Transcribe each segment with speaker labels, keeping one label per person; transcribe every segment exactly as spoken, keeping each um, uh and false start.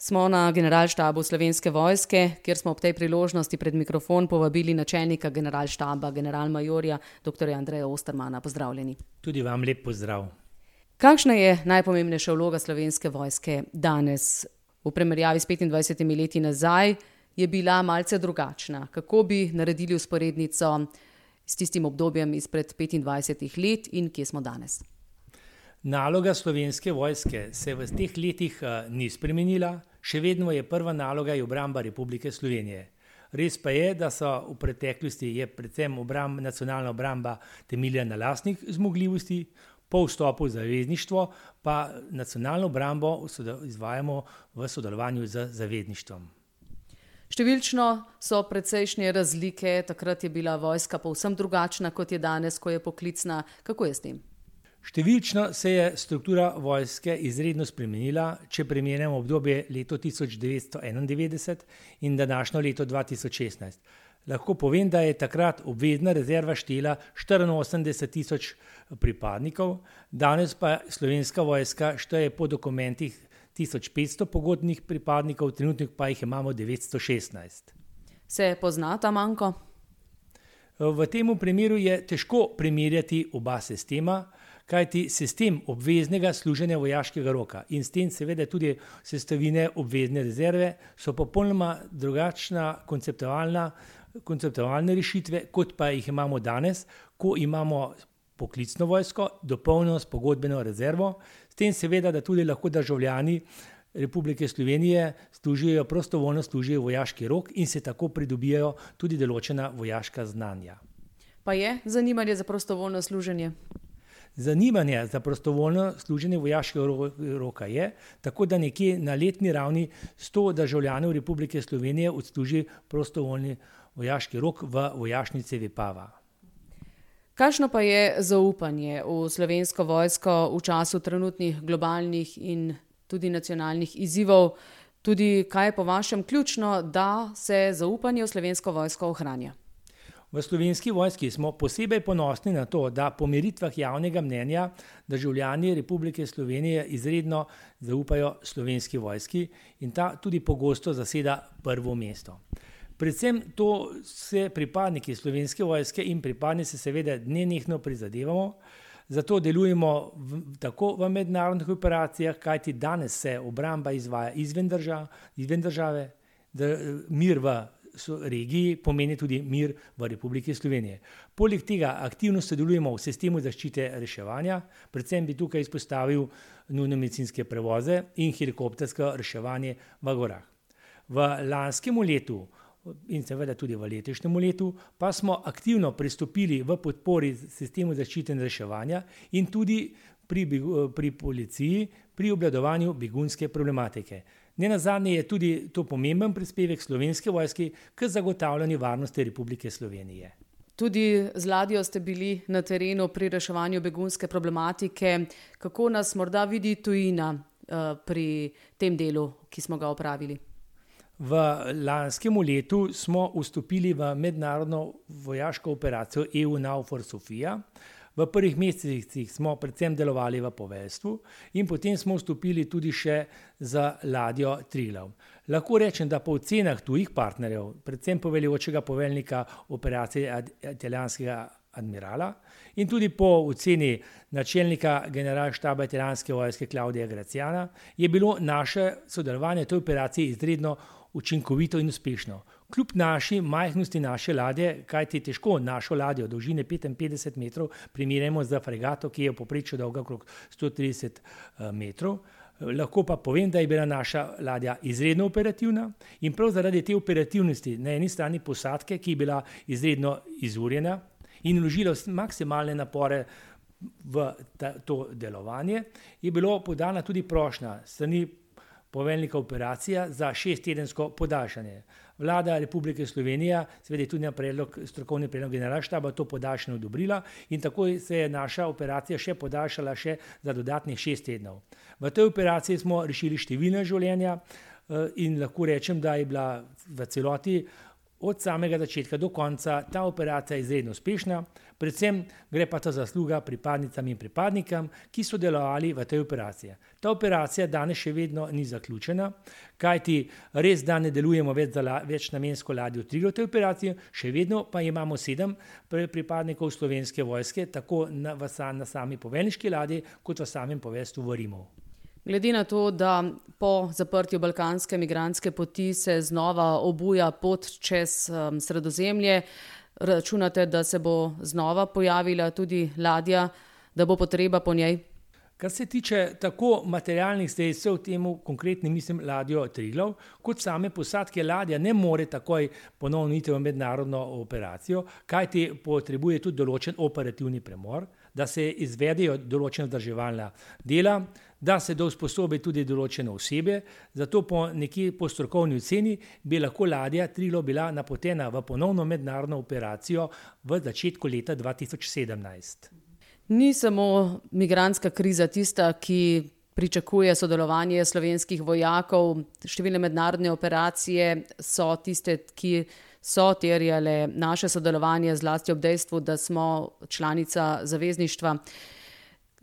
Speaker 1: Smo na generalštabu Slovenske vojske, kjer smo ob tej priložnosti pred mikrofon povabili načelnika generalštaba, generalmajorja doktorja Andreja Ostermana. Pozdravljeni.
Speaker 2: Tudi vam lep pozdrav.
Speaker 1: Kakšna je najpomembnejša vloga Slovenske vojske danes? V primerjavi s petindvajsetimi leti nazaj je bila malce drugačna. Kako bi naredili vzporednico s tistim obdobjem izpred petindvajsetih let in kje smo danes?
Speaker 2: Naloga Slovenske vojske se v teh letih ni spremenila, še vedno je prva naloga je obramba Republike Slovenije. Res pa je, da so v preteklosti je predvsem obramb, nacionalna obramba temeljila na lastnih zmogljivosti, po vstopu v zavezništvo pa nacionalno obrambo izvajamo v sodelovanju z zavezništvom.
Speaker 1: Številčno so precejšnje razlike, takrat je bila vojska povsem drugačna, kot je danes, ko je poklicna. Kako je s tem?
Speaker 2: Številčno se je struktura vojske izredno spremenila, če primerjamo obdobje leto tisoč devetsto enaindevetdeset in današnjo leto dva tisoč šestnajst. Lahko povem, da je takrat obvezna rezerva štela štiriinosemdeset tisoč pripadnikov, danes pa Slovenska vojska šteje po dokumentih tisoč petsto pogodbenih pripadnikov, trenutno pa jih imamo devetsto šestnajst.
Speaker 1: Se pozna ta manko?
Speaker 2: V tem primeru je težko primerjati oba sistema, kajti sistem obveznega služenja vojaškega roka in s tem seveda tudi sestavine obvezne rezerve so popolnoma drugačna konceptualna, konceptualne rešitve, kot pa jih imamo danes, ko imamo poklicno vojsko, dopolnjeno s pogodbeno rezervo, s tem seveda, da tudi lahko državljani Republike Slovenije služijo, prostovoljno služijo vojaški rok in se tako pridobijajo tudi določena vojaška znanja.
Speaker 1: Pa je zanimanje za prostovoljno služenje?
Speaker 2: Zanimanje za prostovoljno služenje vojaškega roka je, tako da nekje na letni ravni sto državljanov Republike Slovenije odsluži prostovoljni vojaški rok v vojašnici Vipava.
Speaker 1: Kakšno pa je zaupanje v Slovensko vojsko v času trenutnih globalnih in tudi nacionalnih izzivov? Tudi kaj je po vašem ključno, da se zaupanje v Slovensko vojsko ohranja?
Speaker 2: V Slovenski vojski smo posebej ponosni na to, da po meritvah javnega mnenja državljani Republike Slovenije izredno zaupajo Slovenski vojski in ta tudi pogosto zaseda prvo mesto. Predvsem to se pripadniki Slovenske vojske in pripadnice seveda nenehno prizadevamo, zato delujemo v, tako v mednarodnih operacijah, kajti danes se obramba izvaja izven držav, izven države, da mir v regiji pomeni tudi mir v Republiki Slovenije. Poleg tega aktivno sodelujemo v sistemu zaščite reševanja, predvsem bi tukaj izpostavil nujno medicinske prevoze in helikoptersko reševanje v gorah. V lanskem letu in seveda tudi v letošnjem letu pa smo aktivno pristopili v podpori sistemu zaščite in reševanja in tudi pri, pri policiji pri obvladovanju begunske problematike. Nenazadnje je tudi to pomemben prispevek Slovenske vojske k zagotavljanju varnosti Republike Slovenije.
Speaker 1: Tudi z ladjo ste bili na terenu pri reševanju begunske problematike. Kako nas morda vidi tujina uh, pri tem delu, ki smo ga opravili?
Speaker 2: V lanskem letu smo vstopili v mednarodno vojaško operacijo EUNAVFOR SOPHIA. V prvih mesecih smo predvsem delovali v poveljstvu in potem smo vstopili tudi še za ladjo Triglav. Lahko rečem, da po ocenah tujih partnerjev, predvsem poveljujočega poveljnika operacije italijanskega admirala in tudi po oceni načelnika generalštaba italijanske vojske Claudia Graziana, je bilo naše sodelovanje v tej operaciji izredno učinkovito in uspešno. Kljub naši majhnosti naše ladje, kajti težko našo ladjo dolžine petinpetdeset metrov primerjamo z fregato, ki je v povprečju dolga okrog sto trideset metrov, lahko pa povem, da je bila naša ladja izredno operativna in prav zaradi te operativnosti na eni strani posadke, ki je bila izredno izurjena in vložila maksimalne napore v ta, to delovanje, je bilo podana tudi prošnja s strani poveljnika operacija za šesttedensko podaljšanje. Vlada Republike Slovenije, seveda tudi na predlog, strokovni predlog generalštaba, to podaljšanje odobrila in tako se je naša operacija še podaljšala še za dodatnih šest tednov. V tej operaciji smo rešili številna življenja in lahko rečem, da je bila v celoti od samega začetka do konca ta operacija izredno uspešna, predvsem gre pa ta zasluga pripadnicam in pripadnikom, ki so delovali v tej operaciji. Ta operacija danes še vedno ni zaključena, kajti res da ne delujemo več za la, večnamensko ladjo Triglav v tej operaciji, še vedno pa imamo sedem pripadnikov Slovenske vojske, tako na, v, na sami poveljniški ladji, kot v samem poveljstvu v Rimu.
Speaker 1: Glede na to, da po zaprtju balkanske migrantske poti se znova obuja pot čez um, Sredozemlje, računate, da se bo znova pojavila tudi ladja, da bo potreba po njej?
Speaker 2: Kar se tiče tako materialnih sredstev, temu konkretno mislim ladjo Triglav, kot same posadke ladja ne more takoj ponovno iti v mednarodno operacijo, kajti potrebuje tudi določen operativni premor, da se izvedejo določena vzdrževalna dela, da se da usposobi tudi določene osebe, zato po nekje po strokovni oceni bi lahko ladja Triglav bila napotena v ponovno mednarodno operacijo v začetku leta dva tisoč sedemnajst.
Speaker 1: Ni samo migrantska kriza tista, ki pričakuje sodelovanje slovenskih vojakov. Številne mednarodne operacije so tiste, ki so terjale naše sodelovanje, zlasti ob dejstvu, da smo članica zavezništva.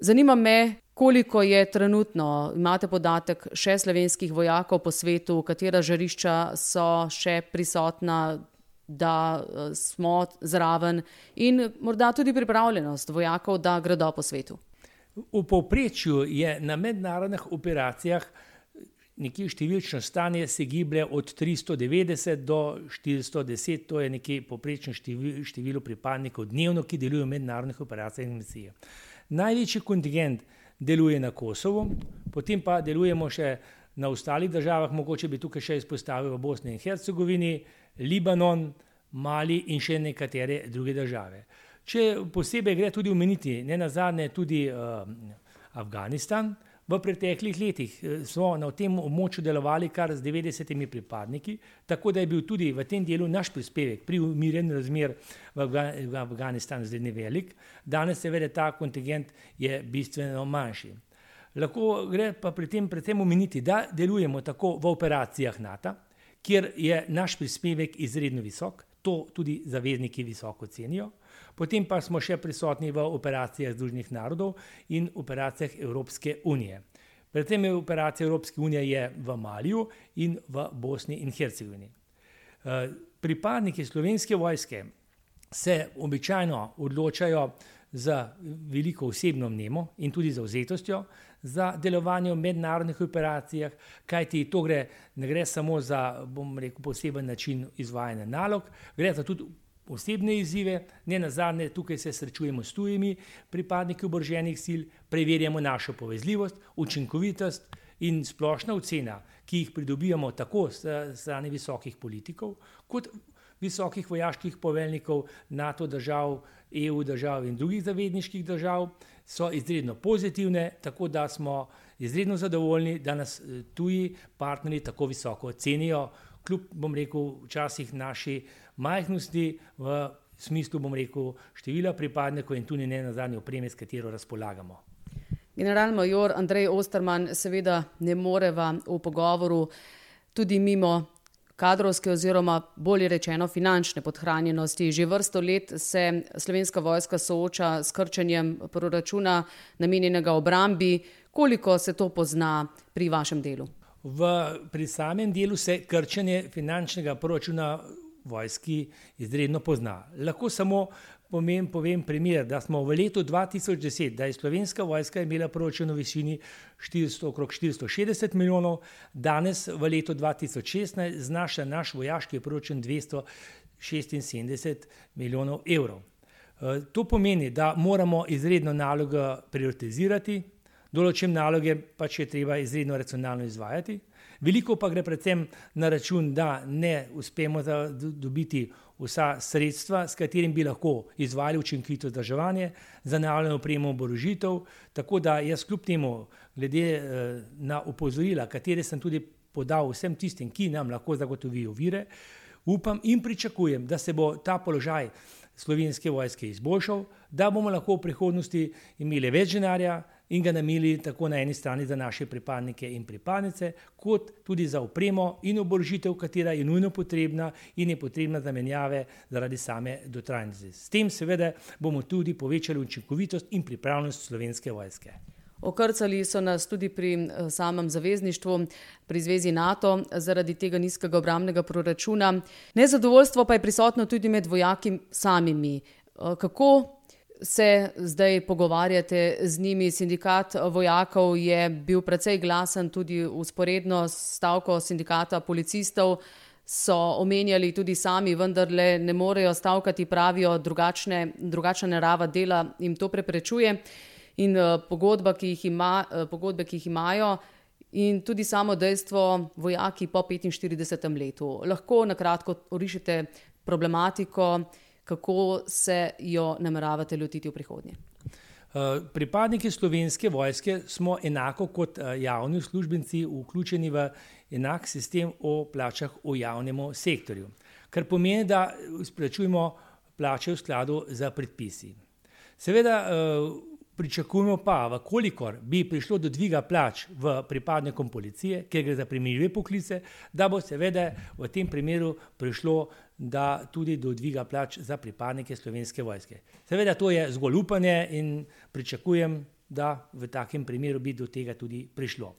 Speaker 1: Zanima me, koliko je trenutno, imate podatek, še slovenskih vojakov po svetu, katera žarišča so še prisotna, da smo zraven in morda tudi pripravljenost vojakov, da gredo po svetu.
Speaker 2: V povprečju je na mednarodnih operacijah nekje številčno stanje se giblje od tristo devetdeset do štiristo deset, to je nekje povprečno število pripadnikov dnevno, ki delujejo v mednarodnih operacijah in misijah. Največji kontingent deluje na Kosovu, potem pa delujemo še na ostalih državah, mogoče bi tukaj še izpostavil v Bosni in Hercegovini, Libanon, Mali in še nekatere druge države. Če posebej gre tudi omeniti, ne nazadnje tudi uh, Afganistan, v preteklih letih smo na tem območju delovali kar z devetdesetimi pripadniki, tako da je bil tudi v tem delu naš prispevek pri umirjanju razmer v, v Afganistanu zelo velik. Danes seveda ta kontingent je bistveno manjši. Lahko gre pa pri tem predvsem omeniti, da delujemo tako v operacijah NATO, kjer je naš prispevek izredno visok, to tudi zavezniki visoko cenijo. Potem pa smo še prisotni v operacijah Združenih narodov in operacijah Evropske unije. Predvsem je operacija Evropske unije je v Maliju in v Bosni in Hercegovini. Pripadniki Slovenske vojske se običajno odločajo za veliko osebno vnemo in tudi zavzetostjo za delovanje v mednarodnih operacijah, kajti to gre, ne gre samo za, bom rekel, poseben način izvajanja nalog, gre za tudi osebne izzive, ne nazadnje tukaj se srečujemo s tujimi pripadniki oboroženih sil, preverjamo našo povezljivost, učinkovitost in splošna ocena, ki jih pridobivamo tako s strani visokih politikov, kot visokih vojaških poveljnikov NATO držav, E U držav in drugih zavezniških držav, so izredno pozitivne, tako da smo izredno zadovoljni, da nas tuji partnerji tako visoko cenijo, kljub, bom rekel, včasih naši majhnosti v smislu, bom rekel, števila pripadnikov in tudi ne nazadnje opreme, s katero razpolagamo.
Speaker 1: Generalmajor Andrej Osterman, seveda ne moreva v pogovoru tudi mimo kadrovske oziroma bolje rečeno finančne podhranjenosti. Že vrsto let se Slovenska vojska sooča s krčenjem proračuna namenjenega obrambi. Koliko se to pozna pri vašem delu?
Speaker 2: V, pri samem delu se krčenje finančnega proračuna vojski izredno pozna. Lahko samo povem, povem primer, da smo v letu dva tisoč deset, da je Slovenska vojska imela proračun v višini štiristo, okrog štiristo šestdeset milijonov, danes v letu dva tisoč šestnajst znaša naš vojaški proračun dvesto šestinsedemdeset milijonov evrov. To pomeni, da moramo izredno nalogo prioritizirati, določene naloge pač je treba izredno racionalno izvajati. Veliko pa gre predvsem na račun, da ne uspemo dobiti vsa sredstva, s katerim bi lahko izvajali učinkovito vzdrževanje, zanavljanje opremo, oborožitev, tako da jaz kljub temu, glede na opozorila, katere sem tudi podal vsem tistim, ki nam lahko zagotovijo vire, upam in pričakujem, da se bo ta položaj Slovenske vojske izboljšal, da bomo lahko v prihodnosti imeli več denarja in ga namenili tako na eni strani za naše pripadnike in pripadnice, kot tudi za opremo in oborožitev, katera je nujno potrebna in je potrebna za menjave zaradi same dotrajnosti. S tem seveda bomo tudi povečali učinkovitost in pripravljenost Slovenske vojske.
Speaker 1: Okrcali so nas tudi pri samem zavezništvu, pri zvezi NATO, zaradi tega nizkega obrambnega proračuna. Nezadovoljstvo pa je prisotno tudi med vojaki samimi. Kako se zdaj pogovarjate z njimi? Sindikat vojakov je bil precej glasen tudi vzporedno s stavko sindikata policistov. So omenjali tudi sami, vendarle ne morejo stavkati, pravijo, drugačne, drugačna narava dela jim to preprečuje. In pogodba, ki jih ima, pogodbe, ki jih imajo, in tudi samo dejstvo vojaki po petinštiridesetem letu. Lahko na kratko orišete problematiko, kako se jo nameravate lotiti v prihodnje?
Speaker 2: Pripadniki Slovenske vojske smo enako kot javni uslužbenci vključeni v enak sistem o plačah v javnem sektorju, kar pomeni, da izplačujemo plače v skladu z predpisi. Seveda pričakujemo pa, v kolikor bi prišlo do dviga plač v pripadnikom policije, ker gre za primerljive poklice, da bo seveda v tem primeru prišlo da tudi do dviga plač za pripadnike Slovenske vojske. Seveda to je zgolj upanje in pričakujem, da v takem primeru bi do tega tudi prišlo.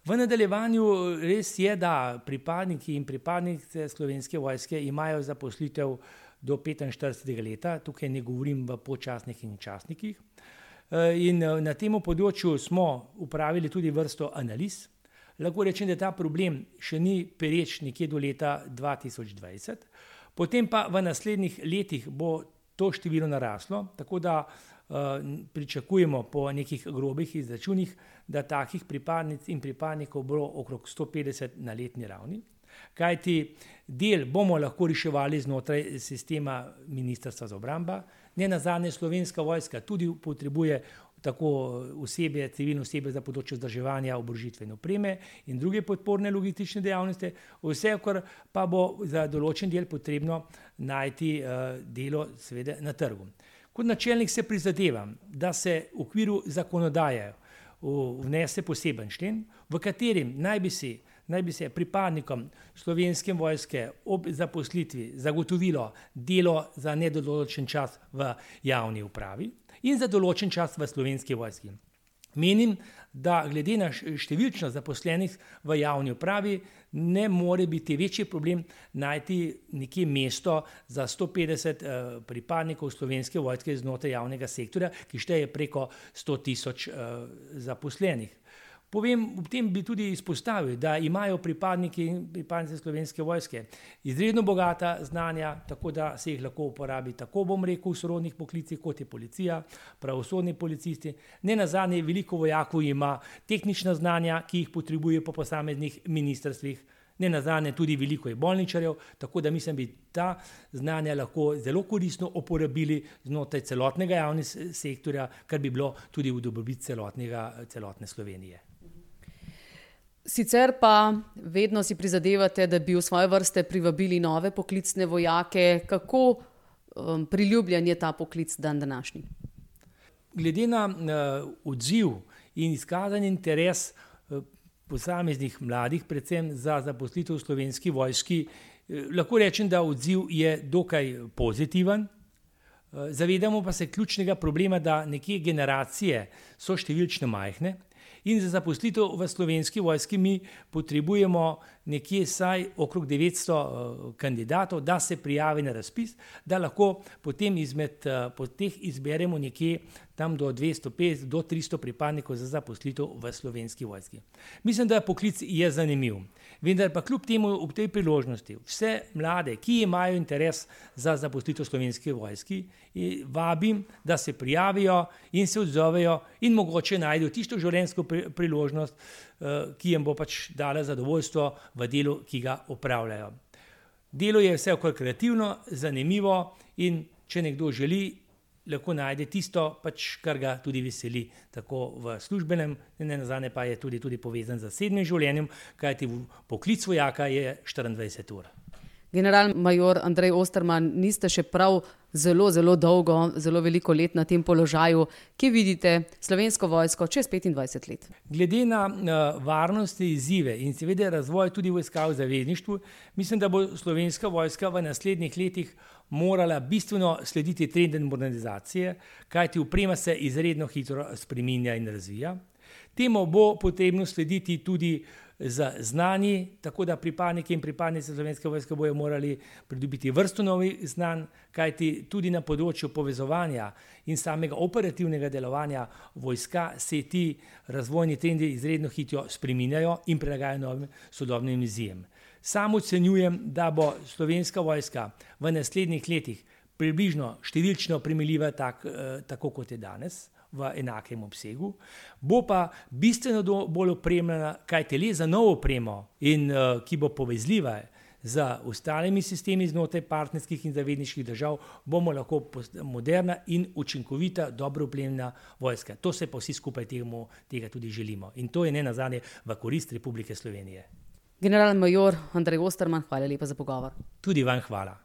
Speaker 2: V nadaljevanju res je, da pripadniki in pripadnice Slovenske vojske imajo zaposlitev do petinštiridesetega leta, tukaj ne govorim v počasnih in časnikih. In na tem področju smo upravili tudi vrsto analiz. Lahko rečem, da ta problem še ni pereč nekje do leta dva tisoč dvajset, potem pa v naslednjih letih bo to število naraslo, tako da uh, pričakujemo po nekih grobih izračunih, da takih pripadnic in pripadnikov bo okrog sto petdeset na letni ravni. Kajti del bomo lahko reševali znotraj sistema Ministrstva za obrambo, ne nazadnje Slovenska vojska tudi potrebuje tako osebje, civilno osebje za področje vzdrževanja, oborožitve in opreme in druge podporne logistične dejavnosti, vsekakor pa bo za določen del potrebno najti uh, delo seveda na trgu. Kot načelnik se prizadevam, da se v okviru zakonodaje vnese poseben člen, v katerem naj bi si naj bi se pripadnikom Slovenske vojske ob zaposlitvi zagotovilo delo za nedoločen čas v javni upravi in za določen čas v Slovenski vojski. Menim, da glede na številčnost zaposlenih v javni upravi ne more biti večji problem najti nekje mesto za sto petdeset uh, pripadnikov Slovenske vojske znotraj javnega sektorja, ki šteje preko sto tisoč uh, zaposlenih. Povem, ob tem bi tudi izpostavil, da imajo pripadniki in pripadnice Slovenske vojske izredno bogata znanja, tako da se jih lahko uporabi, tako bom rekel, v sorodnih poklicih, kot je policija, pravosodni policisti. Ne nazadnje, veliko vojakov ima tehnična znanja, ki jih potrebuje po posameznih ministrstvih. Ne nazadnje tudi veliko je bolničarjev, tako da mislim, bi ta znanja lahko zelo koristno uporabili znotraj celotnega javnega sektorja, kar bi bilo tudi v dobrobit celotnega, celotne Slovenije.
Speaker 1: Sicer pa vedno si prizadevate, da bi v svoje vrste privabili nove poklicne vojake. Kako um, priljubljen je ta poklic dan današnji?
Speaker 2: Glede na uh, odziv in izkazan interes uh, posameznih mladih, predvsem za zaposlitev v Slovenski vojski, uh, lahko rečem, da odziv je dokaj pozitiven. Uh, zavedamo pa se ključnega problema, da nekje generacije so številčno majhne. In za zaposlitev v Slovenski vojski mi potrebujemo nekje vsaj okrog devetsto kandidatov, da se prijavi na razpis, da lahko potem izmed po teh izberemo nekje tam do dvesto petdeset do tristo pripadnikov za zaposlitev v Slovenski vojski. Mislim, da poklic je zanimiv. Vendar pa kljub temu ob tej priložnosti vse mlade, ki imajo interes za zaposlitev v Slovenski vojski, vabim, da se prijavijo in se odzovejo in mogoče najdejo tisto življenjsko priložnost, ki jim bo pač dala zadovoljstvo v delu, ki ga opravljajo. Delo je vsekakor kreativno, zanimivo in če nekdo želi, lahko najde tisto, pač, kar ga tudi veseli, tako v službenem, ne nazadnje pa je tudi, tudi povezan z zasebnim življenjem, kajti poklic vojaka je štiriindvajset ur.
Speaker 1: General major Andrej Osterman, niste še prav zelo, zelo dolgo, zelo veliko let na tem položaju. Kje vidite Slovensko vojsko čez petindvajset let?
Speaker 2: Glede na uh, varnostne izzive in seveda razvoj tudi vojska v zavezništvu, mislim, da bo Slovenska vojska v naslednjih letih morala bistveno slediti trendom modernizacije, kajti oprema se izredno hitro spreminja in razvija. Temu bo potrebno slediti tudi z znanji, tako da pripadniki in pripadnice Slovenske vojske bojo morali pridobiti vrsto novih znanj, kajti tudi na področju povezovanja in samega operativnega delovanja vojska se ti razvojni trendi izredno hitro spreminjajo in prilagajajo novim sodobnim izzijem. Sam ocenjujem, da bo Slovenska vojska v naslednjih letih približno številčno primerljiva tak, tako kot je danes, v enakem obsegu, bo pa bistveno bolj opremljena, kajti le za novo opremo, in, uh, ki bo povezljiva z ostalimi sistemi znotraj partnerskih in zavezniških držav, bomo lahko moderna in učinkovita, dobro opremljena vojska. To se pa vsi skupaj temu, tega tudi želimo. In to je nenazadnje v korist Republike Slovenije.
Speaker 1: General major Andrej Osterman, hvala lepa za pogovor.
Speaker 2: Tudi vam hvala.